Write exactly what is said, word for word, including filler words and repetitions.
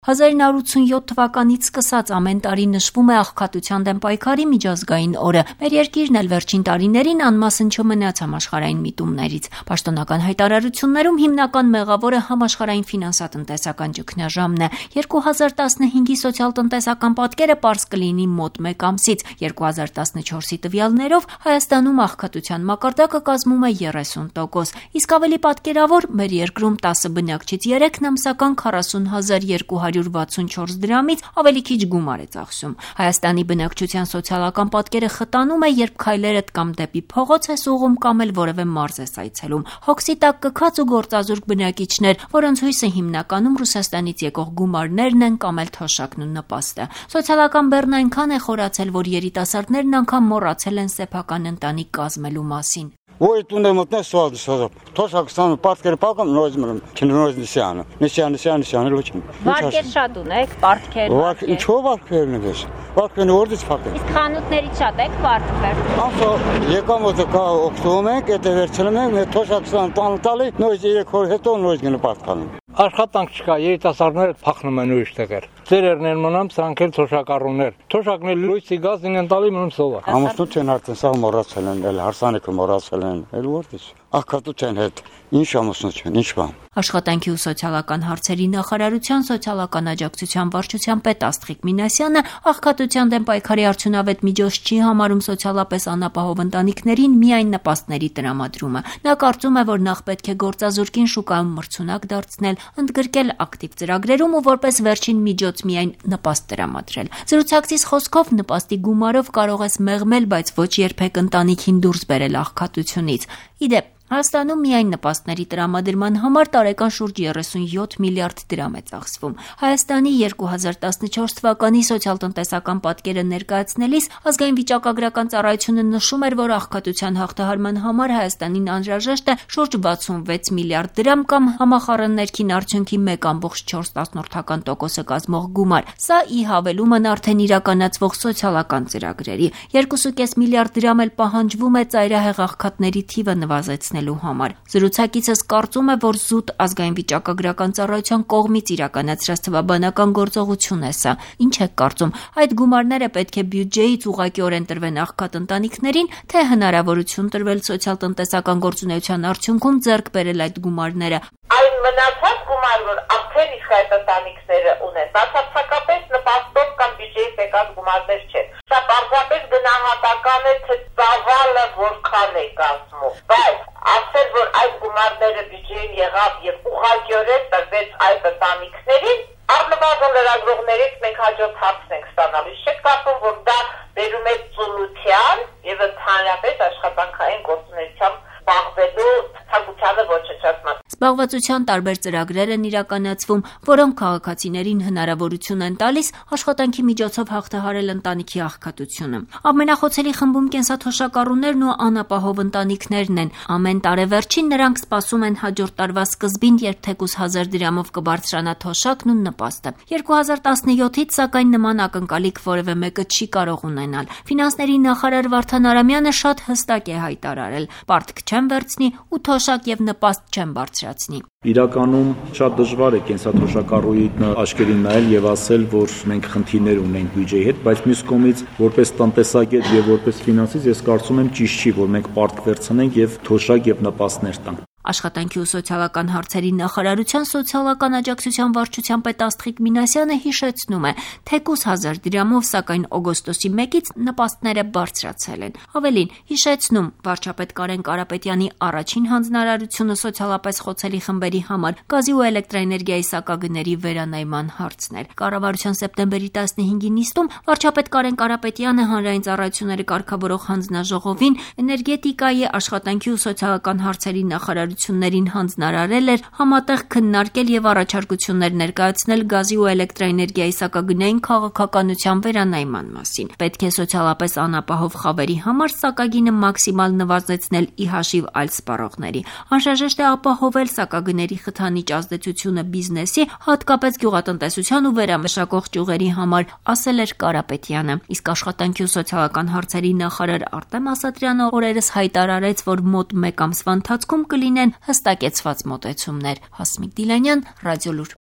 հազար ինը հարյուր ութսունյոթ թվականից սկսած ամեն տարի նշվում է աղքատության դեմ պայքարի միջազգային օրը։ Մեր երկիրն էլ վերջին տարիներին անմասն չմնաց համաշխարհային միտումներից։ Պաշտոնական հայտարարություններում հիմնական մեղավորը համաշխարհային ֆինանսատնտեսական ճգնաժամն է։ երկու հազար տասնհինգի սոցիալ-տնտեսական պատկերը պարզ կլինի մոտ մեկ ամսից։ երկու հազար տասնչորսի տվյալներով Հայաստանում աղքատության մակարդակը կազմում է երեսուն տոկոս, իսկ ավելի պատկերավոր մեր երկրում տասը բնակչից երեքն ամսական քառասուն հազար երկու հարյուր վաթսունչորս դրամից ավելի քիչ գումար է ծախսում։ Հայաստանի բնակչության սոցիալական պատկերը խտանում է, երբ քայլերդ կամ դեպի փողոց ես ուղում կամ էլ որևէ մարզ ես այցելում։ Հոգսի տակ կքած ու գործազուրկ բնակիչներ, որոնց հույսը հիմնականում Ռուսաստանից եկող գումարներն են կամ էլ թոշակն ու նպաստը։ Սոցիալական բեռն այնքան է խորացել, որ երիտասարդներն անգամ մոռացել են սեփական ընտանիք կազմելու մասին։ Ой, туда мотне сразу сразу. Тоже Оксана Парткер паком нозмером, чинроз несяна. Несяна, несяна, несяна лучше. Վարկեր շատ ունեք, պարտքեր։ Վարկ, ինչո՞վ վարկերն ես։ Վարկերն որից փակել։ Իսկ խանութներից շատ եք պարտքեր։ Ասա, եկամ ոտը կա օգտվում ենք, եթե վերցնում ենք, թոշ Окսան տան տալի, նույն երեք օր հետո նույն գնա պարտքանում։ Աշխատանք չկա, երիտասարդները փախնում են ուրիշ տեղեր։ Ծերերներ մնամ, սրանք էլ թոշակառուներ։ Թոշակն էլ լույսի գազին են տալի մնում սովա։ Ամուսնու չեն արդեն սա մոռացել են, էլ հարսանեկը մոռացել են, էլ որտես։ Աղքատության հետ ինչ ամուսնու չեն, ինչ բան։ Աշխատանքի ու սոցիալական հարցերի նախարարության սոցիալական աջակցության վարչության պետ Աստղիկ Մինասյանը աղքատության դեմ պայքարի արդյունավետ միջոց չի համարում սոցիալապես անապահով ընտանիքներին միայն նպաստների տրամադրումը։ Նա կարծում է, որ նախ պետք է գործազուրկին շուկայում մրցունակ դարձնել, ընդգրկել ակտիվ ծրագրերում ու որպես վերջին միջոց միայն նպաստ տրամադրել։ Զրուցակցիս խոսքով նպաստի գումարով կարող ես մեղմել, բայց ոչ երբեք ընտանիքին դուրս բերել աղքատությունից։ Իդեպ Հայաստանում միայն նպաստների տրամադրման համար տարեկան շուրջ երեսունյոթ միլիարդ դրամ է ծախսվում։ Հայաստանի երկու հազար տասնչորս թվականի սոցիալ-տնտեսական պատկերը ներկայացնելիս ազգային վիճակագրական ծառայությունը նշում էր, որ աղքատության հաղթահարման համար Հայաստանին անհրաժեշտ է շուրջ վաթսունվեց միլիարդ դրամ կամ համախառն ներքին արդյունքի մեկ կόμμα չորս տոկոսը կազմող գումար։ Սա ի հավելումն արդեն իրականացվող սոցիալական ծրագրերի։ երկու կόμμα պենս միլիարդ դրամ էլ պահանջվում է ծայրահեղ աղքատների թիվը նվազեցնել համար։ Զրուցակիցս կարծում է, որ զուտ ազգային վիճակագրական ծառայության կողմից իրականացրած թվաբանական գործողություն է սա։ Ինչ եք կարծում, այդ գումարները պետք է բյուջեից ուղղակիորեն տրվեն աղքատ ընտանիքներին, թե հնարավորություն տրվել սոցիալ-տնտեսական գործունեության արդյունքում ձեռք բերել այդ գումարները։ Այն մնացած գումար, որ արդեն իսկ այդ ընտանիքները ունեն, բացարձակապես նպաստով կամ բյուջեից եկած գումարներ չեն։ Սա պարզապես գնահատական է, թե ծավալը որքան է կազմում։ Բայց ասել, որ այդ գումարները բյուջեին եղավ եւ ուղղակիորեն տրվեց այդ ընտանիքներին, առնվազն լրագրողներից մենք հաջորդ հարցն ենք ստանալու։ Չեք կարծում, որ դա բերում է ծուլության եւ ընդհանրապես աշխատանքային գործունեությամբ զբաղվելու ցանկությանը ոչնչացման։ Զբաղվածության տարբեր ծրագրեր են իրականացվում, որոնք քաղաքացիներին հնարավորություն են տալիս աշխատանքի միջոցով հաղթահարել ընտանիքի աղքատությունը։ Ամենախոցելի խմբում կենսաթոշակառուներն ու անապահով ընտանիքներն են։ Ամեն տարեվերջին նրանք սպասում են հաջորդ տարվա սկզբին, երբ թեկուզ հազար դրամով կբարձրանա թոշակն ու նպաստը։ երկու հազար տասնյոթից սակայն նման ակնկալիք որևէ մեկը չի կարող ունենալ։ Ֆինանսների նախարար Վարդան Արամյանը շատ հստակ է հայտարարել. պարտք չեն վերցնի ու թոշակ եւ նպաստ չեն բարձրացնի։ Իրականում շատ դժվար է կենսաթոշակառուի աչքերին նայել եւ ասել, որ մենք խնդիրներ ունենք բյուջեի հետ, բայց մյուս կողմից որպես տնտեսագետ եւ որպես ֆինանսիստ ես կարծում եմ ճիշտ չի, որ մենք պարտք վերցնենք եւ թոշակ եւ նպաստներ տանք։ Աշխատանքի ու սոցիալական հարցերի նախարարության սոցիալական աջակցության վարչության պետ Աստղիկ Մինասյանը հիշեցնում է, թեկուզ հազար դրամով, սակայն օգոստոսի մեկից նպաստները բարձրացել են։ Ավելին, հիշեցնում վարչապետ Կարեն Կարապետյանի առաջին հանձնարարությունը սոցիալապես խոցելի խմբերի համար գազի ու էլեկտրաէներգիայի սակագների վերանայման հարցն էր։ Կառավարության սեպտեմբերի տասնհինգի նիստում վարչապետ Կարեն Կարապետյանը հանրային ծառայությունների կարգավորող հանձնաժողովին էներգետիկայի, աշխատանքի ու սոցիալական հարցերի նախարար ներին հանձնարարել էր համատեղ քննարկել եւ առաջարկություններ ներկայացնել գազի ու էլեկտրաէներգիայի սակագնային քաղաքականության վերանայման մասին։ Պետք է սոցիալապես անապահով խավերի համար սակագինը մաքսիմալ նվազեցնել ի հաշիվ այլ սպառողների։ Անհրաժեշտ է ապահովել սակագների խթանիչ ազդեցությունը բիզնեսի, հատկապես գյուղատնտեսության ու վերամշակող ճյուղերի համար, ասել էր Կարապետյանը։ Իսկ աշխատանքի ու սոցիալական հարցերի նախարար Արտեմ Ասատրյանը օրերս հայտարարեց, որ մոտ մեկ ամսվա ընթացքում կլինեն հստակեցված մոտեցումներ։ Հասմիկ Դիլանյան, Ռադիոլուր։